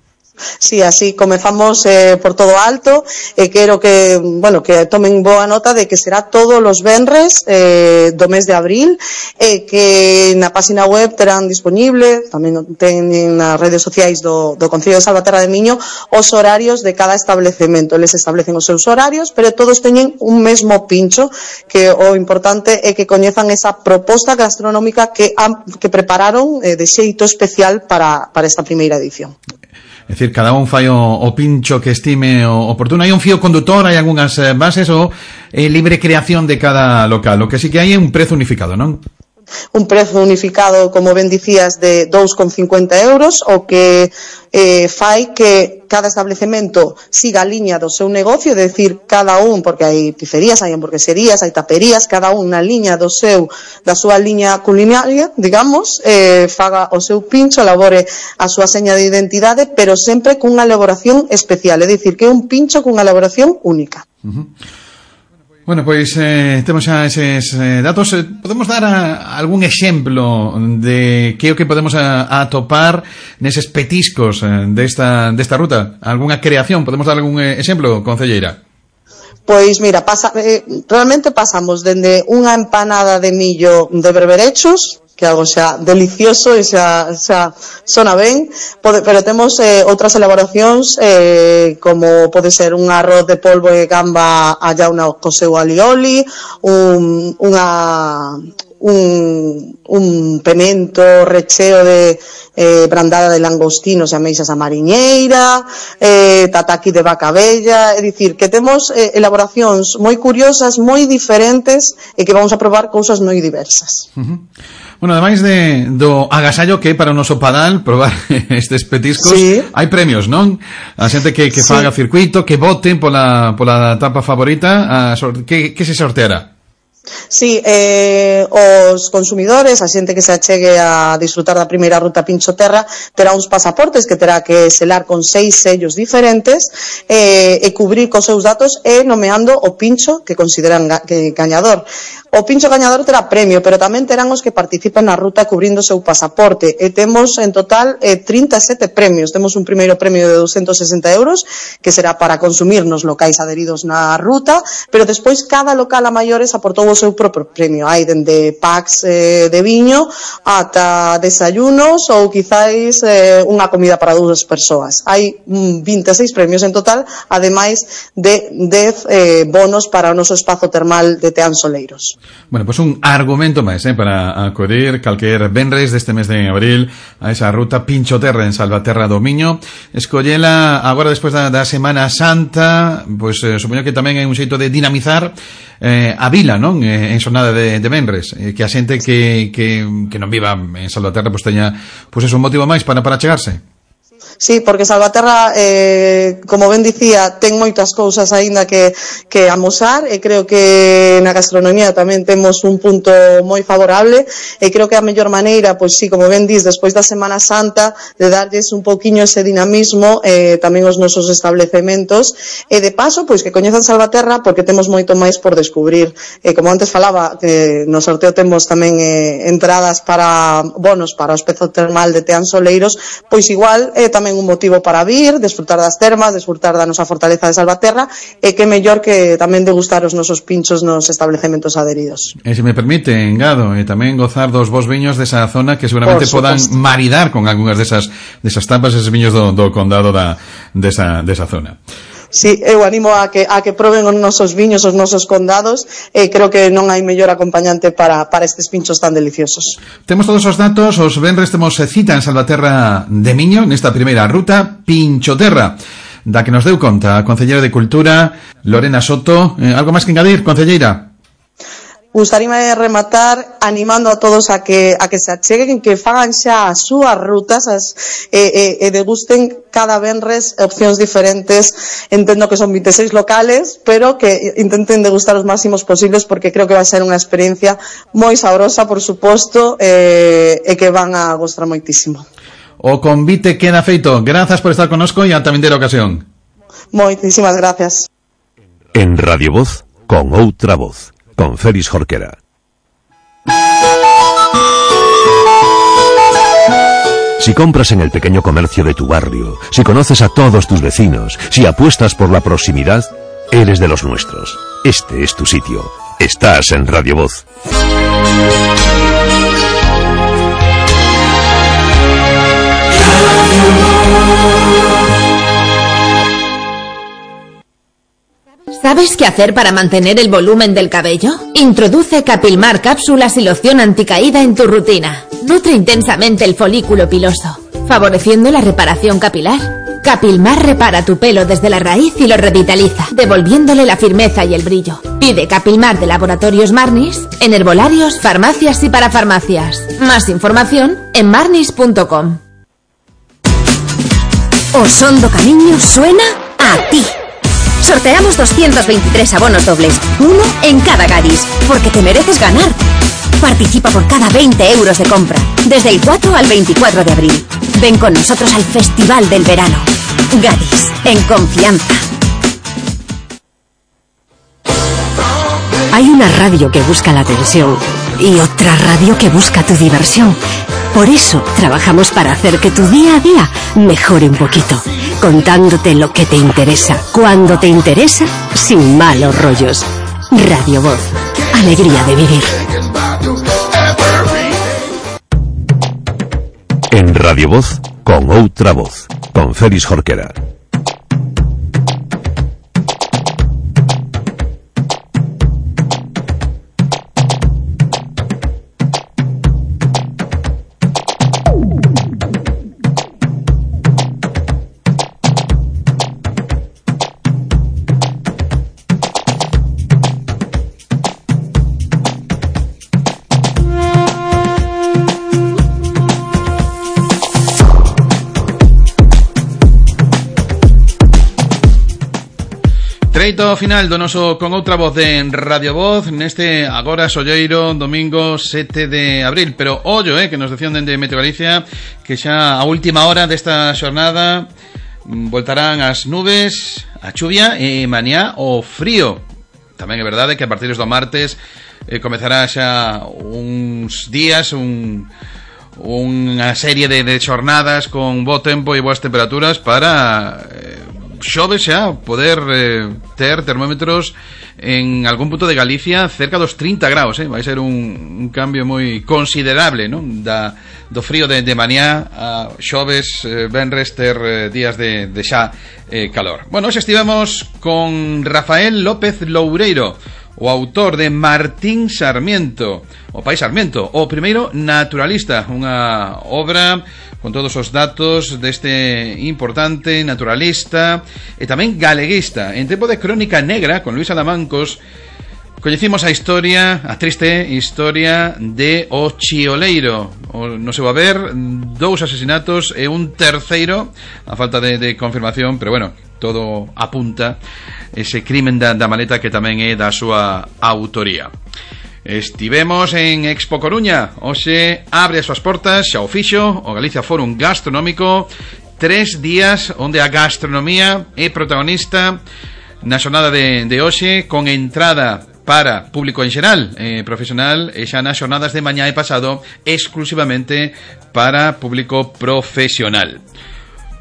M: Sí, así comezamos eh, por todo alto e eh, quero que, bueno, que tomen boa nota de que será todos os venres eh, do mes de abril e eh, que na página web terán disponible, tamén ten nas redes sociais do, do Concello de Salvaterra de Miño, os horarios de cada establecemento. Eles establecen os seus horarios, pero todos teñen un mesmo pincho, que o importante é que coñezan esa proposta gastronómica que, que prepararon eh, de xeito especial para, para esta primeira edición.
B: É dicir, cada un fai o, o pincho que estime oportuno. Hai un fío conductor, hai algunhas bases ou é libre creación de cada local. O que sí que hai é un prezo unificado, non?
M: Un prezo unificado, como ben dicías, de dous con cincuenta euros, o que eh, fai que cada establecemento siga a liña do seu negocio, é dicir, cada un, porque hai pizzerías, hai hamburgueserías, hai taperías, cada un na liña do seu, da súa liña culinaria, digamos, eh, faga o seu pincho, elabore a súa seña de identidade, pero sempre cunha elaboración especial, é dicir, que é un pincho cunha elaboración única.
B: Uh-huh. Bueno, pois eh, temos xa eses eh, datos. Eh, podemos dar a, a algún exemplo de que o que podemos a, a atopar neses petiscos eh, desta, desta ruta? Alguna creación? Podemos dar algún eh, exemplo, concelleira?
M: Pois mira, pasa, eh, realmente pasamos dende unha empanada de millo de berberechos, que é algo xa delicioso e xa, xa sona ben, pode, pero temos eh, outras elaboracións eh, como pode ser un arroz de polvo e gamba a llauna co seu alioli, un, unha, un, un pemento recheo de eh, brandada de langostinos e ameixas a mariñeira, eh, tataki de vaca bella, é dicir, que temos eh, elaboracións moi curiosas, moi diferentes e que vamos a probar cousas moi diversas.
B: Uh-huh. Bueno, ademais de, do agasallo que é para o noso padal probar estes petiscos, sí. Hai premios, non? A xente que, que sí. Faga circuito, que vote pola, pola tapa favorita, a, que, que se sorteará?
M: Sí, eh, os consumidores, a xente que se achegue a disfrutar da primeira ruta Pinchoterra, terá uns pasaportes que terá que selar con seis sellos diferentes eh, e cubrir cos seus datos e nomeando o pincho que consideran ga, que gañador. O pincho gañador terá premio, pero tamén terán os que participen na ruta cubrindo o seu pasaporte. E temos en total eh, trinta e sete premios. Temos un primeiro premio de doscientos sesenta euros, que será para consumir nos locais adheridos na ruta, pero despois cada local a maiores aportou o seu propio premio. Hai dende packs eh, de viño ata desayunos ou quizáis eh, unha comida para dúas persoas. Hai mm, vinte e seis premios en total, ademais de dez eh, bonos para o noso espazo termal de Teán Soleiros.
B: Bueno, pues un argumento máis eh, para acudir calquer venres deste mes de abril a esa ruta Pinchoterra en Salvaterra do Miño. Escollela agora despois da, da Semana Santa, pois pues, eh, supoño que tamén hai un xeito de dinamizar eh, a vila, non? Eh, en xornada de, de venres, eh, que a xente que, que, que non viva en Salvaterra pois pues, teña pois pues, es un motivo máis para, para chegarse.
M: Sí, porque Salvaterra, eh, como ben dicía, ten moitas cousas aínda que, que amosar, e creo que na gastronomía tamén temos un punto moi favorable, e creo que a mellor maneira, pois sí, como ben dis, despois da Semana Santa, de darlles un pouquiño ese dinamismo eh, tamén os nosos establecementos, e de paso, pois que coñezan Salvaterra, porque temos moito máis por descubrir. E como antes falaba, que no sorteo temos tamén eh, entradas para bonos para o espazo termal de Teán Soleiros, pois igual eh, tamén un motivo para vir, desfrutar das termas, desfrutar da nosa fortaleza de Salvaterra, e que mellor que tamén degustar os nosos pinchos nos establecementos adheridos.
B: E se me permite, engado, e tamén gozar dos bons viños desa zona que seguramente podan maridar con algunhas desas desas tapas, esos viños do, do condado da desa desa zona.
M: Sí, eu animo a que a que proben os nosos viños, os nosos condados, e creo que non hai mellor acompañante para, para estes pinchos tan deliciosos.
B: Temos todos os datos, os venres temos cita en Salvaterra de Miño, nesta primeira ruta Pinchoterra, da que nos deu conta a Concelleira de Cultura, Lorena Soto. Eh, algo máis que engadir, Concelleira?
M: Gustaríame rematar animando a todos a que a que se acheguen, que fagan xa as súas rutas as, e, e, e degusten cada venres opcións diferentes. Entendo que son vinte e seis locales, pero que intenten degustar os máximos posibles, porque creo que vai ser unha experiencia moi sabrosa, por suposto, e, e que van a gostar moitísimo.
B: O convite queda feito. Grazas por estar connosco e ata vindeira ocasión.
M: Moitísimas gracias.
C: En Radio Voz, con outra voz, con Félix Jorquera. Si compras en el pequeño comercio de tu barrio, si conoces a todos tus vecinos, si apuestas por la proximidad, eres de los nuestros. Este es tu sitio. Estás en Radio Voz.
N: ¿Sabes qué hacer para mantener el volumen del cabello? Introduce Capilmar cápsulas y loción anticaída en tu rutina. Nutre intensamente el folículo piloso, favoreciendo la reparación capilar. Capilmar repara tu pelo desde la raíz y lo revitaliza, devolviéndole la firmeza y el brillo. Pide Capilmar de Laboratorios Marnis en herbolarios, farmacias y parafarmacias. Más información en marnis punto com.
H: Osondo Camiño suena a ti. Sorteamos doscientos veintitrés abonos dobles, uno en cada Gadis, porque te mereces ganar. Participa por cada veinte euros de compra, desde el cuatro al veinticuatro de abril. Ven con nosotros al Festival del Verano. Gadis, en confianza. Hay una radio que busca la atención y otra radio que busca tu diversión. Por eso trabajamos para hacer que tu día a día mejore un poquito, contándote lo que te interesa, cuando te interesa, sin malos rollos. Radio Voz, alegría de vivir.
C: En Radio Voz, con outra voz, con Félix Jorquera.
B: Treito final do noso Con Outra Voz de Radio Voz neste agora solleiro domingo sete de abril. Pero ollo, eh, que nos decían dende Meteo Galicia que xa a última hora desta xornada voltarán as nubes, a chuvia e mañá o frío. Tamén é verdade que a partir do martes eh, comezará xa uns días un unha serie de, de xornadas con bo tempo e boas temperaturas para eh, xove xa poder eh, ter termómetros en algún punto de Galicia cerca dos trinta graus, eh? Vai ser un, un cambio moi considerable, non? Da, do frío de, de mañá a xoves, eh, venres, ter eh, días de, de xa eh, calor. Bueno, hoxe estivemos con Rafael López Loureiro, o autor de Martín Sarmiento, o Pai Sarmiento, o primeiro naturalista, unha obra con todos os datos deste importante naturalista e tamén galeguista. En tempo de Crónica Negra, con Luis Alamancos, coñecimos a historia, a triste historia de O Chioleiro. O, no se va a ver dous asesinatos e un terceiro, a falta de, de confirmación, pero bueno, todo apunta ese crimen da, da maleta que tamén é da súa autoría. Estivemos en Expo Coruña. Hoxe abre as súas portas, xa o fixo, o Galicia Forum Gastronómico. Tres días onde a gastronomía é protagonista na xornada de, de hoxe, con entrada para público en xeral, eh, profesional, e xa nas xornadas de mañá e pasado exclusivamente para público profesional.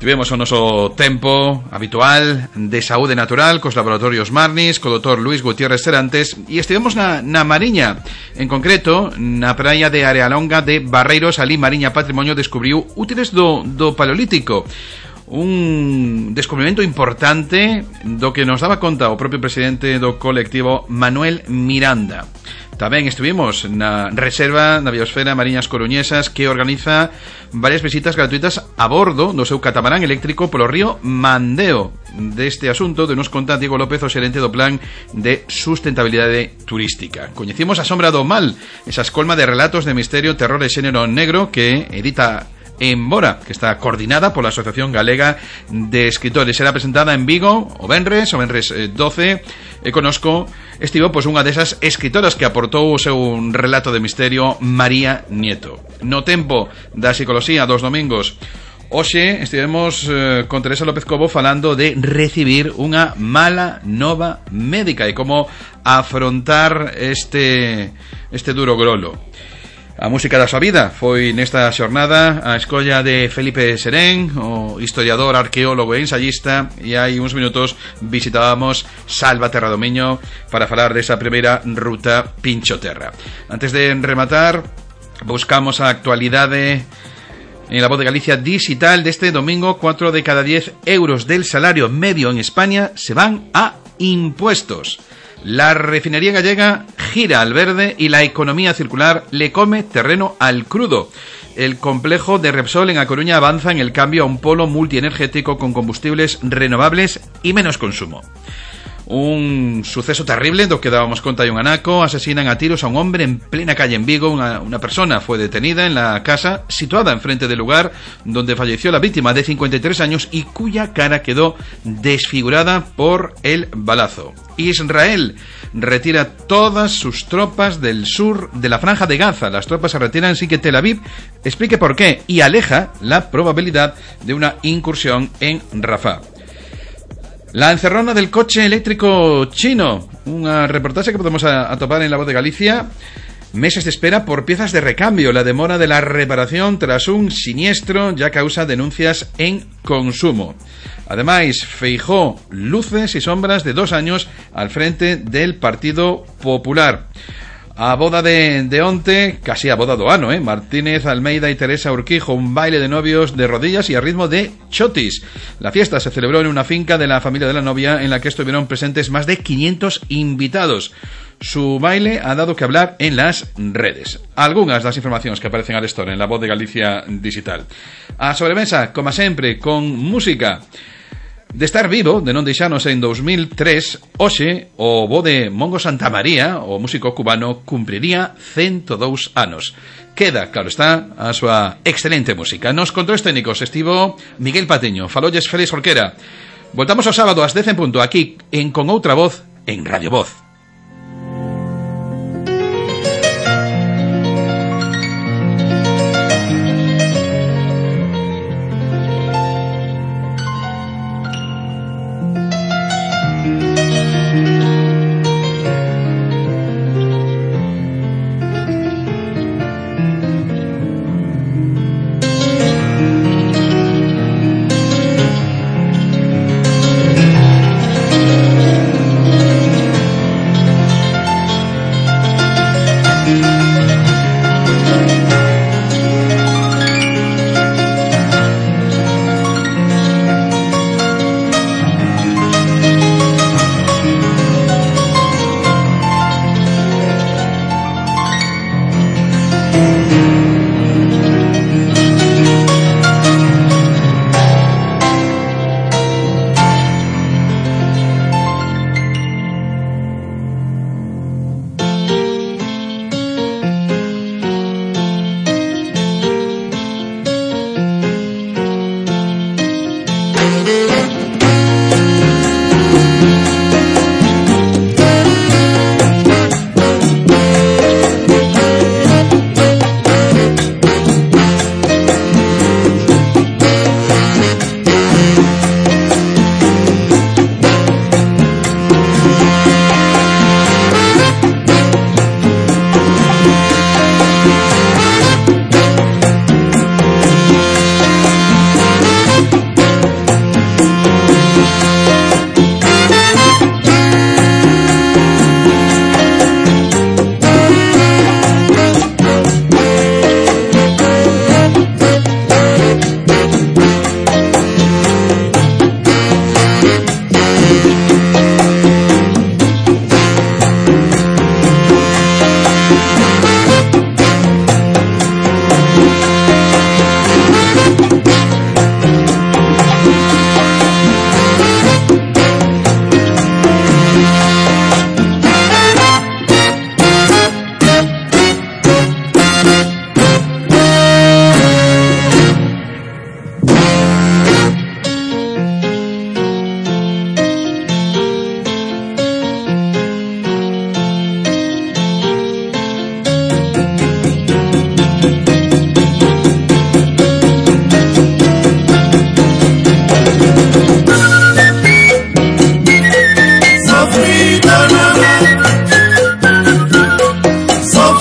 B: Tivemos o noso tempo habitual de saúde natural cos laboratorios Marnis, co doutor Luis Gutiérrez Serantes, e estivemos na, na Mariña, en concreto na praia de Arealonga de Barreiros. Ali Mariña Patrimonio descubriu útiles do, do Paleolítico, un descubrimento importante do que nos daba conta o propio presidente do colectivo, Manuel Miranda. Tamén estuvimos na reserva da biosfera Mariñas Coruñesas, que organiza varias visitas gratuitas a bordo do seu catamarán eléctrico polo río Mandeo. Deste asunto de nos conta Diego López, o xerente do Plan de Sustentabilidade Turística. Coñecimos A Sombra do Mal, esa escolma de relatos de misterio, terror e xénero negro que edita Embora, que está coordinada pola Asociación Galega de Escritores. Será presentada en Vigo o venres, o venres doce, e conosco estivo pois unha desas escritoras que aportou o seu relato de misterio, María Nieto. No tempo da psicoloxía dos domingos, hoxe estivemos eh, con Teresa López Cobo falando de recibir unha mala nova médica e como afrontar este, este duro grolo. A música da súa vida foi nesta xornada a escolla de Felipe Serén, o historiador, arqueólogo e ensayista, e hai uns minutos visitábamos Salva Terra do Miño para falar desa primeira ruta Pinchoterra. Antes de rematar, buscamos a actualidade en La Voz de Galicia digital deste domingo. Cuatro de cada diez euros del salario medio en España se van a impuestos. La refinería gallega gira al verde y la economía circular le come terreno al crudo. El complejo de Repsol en A Coruña avanza en el cambio a un polo multienergético con combustibles renovables y menos consumo. Un suceso terrible do que dábamos conta de un anaco. Asesinan a tiros a un hombre en plena calle en Vigo. Una, una persona fue detenida en la casa situada enfrente del lugar donde falleció la víctima, de cincuenta y tres años, y cuya cara quedó desfigurada por el balazo. Israel retira todas sus tropas del sur de la Franja de Gaza. Las tropas se retiran sin que Tel Aviv explique por qué, y aleja la probabilidad de una incursión en Rafah. La encerrona del coche eléctrico chino, unha reportaxe que podemos atopar en La Voz de Galicia. Meses de espera por piezas de recambio. La demora de la reparación tras un siniestro ya causa denuncias en consumo. Ademais, Feijóo, luces y sombras de dos años al frente del Partido Popular. A boda de, de onte, casi a boda do ano, eh? Martínez, Almeida y Teresa Urquijo, un baile de novios de rodillas y a ritmo de chotis. La fiesta se celebró en una finca de la familia de la novia, en la que estuvieron presentes más de quinientos invitados. Su baile ha dado que hablar en las redes. Algunas das informacións que aparecen al store en La Voz de Galicia digital. A sobremesa, como sempre, con música. De estar vivo, de non deixarnos en dos mil tres, hoxe o bo de Mongo Santamaría, o músico cubano, cumpriría ciento dous anos. Queda, claro está, a súa excelente música. Nos controles técnicos estivo Miguel Patiño, falolles Félix Jorquera. Voltamos o sábado ás dez en punto, aquí en Con Outra Voz, en Radio Voz.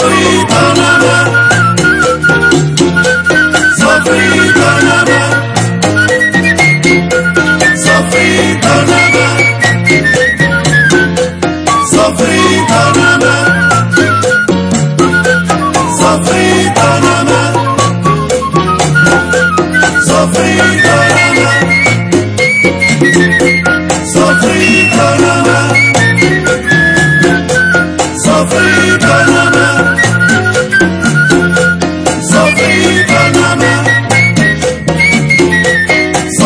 L: sofrito nada más, sofrito nada más, sofrito nada más, sofrito nada más, sofrito nada más, sofrito nada más, sofrito nada más. Sofrito nada más, sofrito nada más,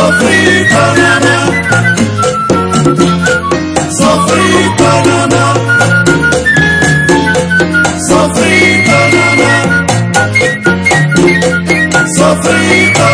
L: sofrito nada más, sofrito nada más, sofrito nada más, sofrito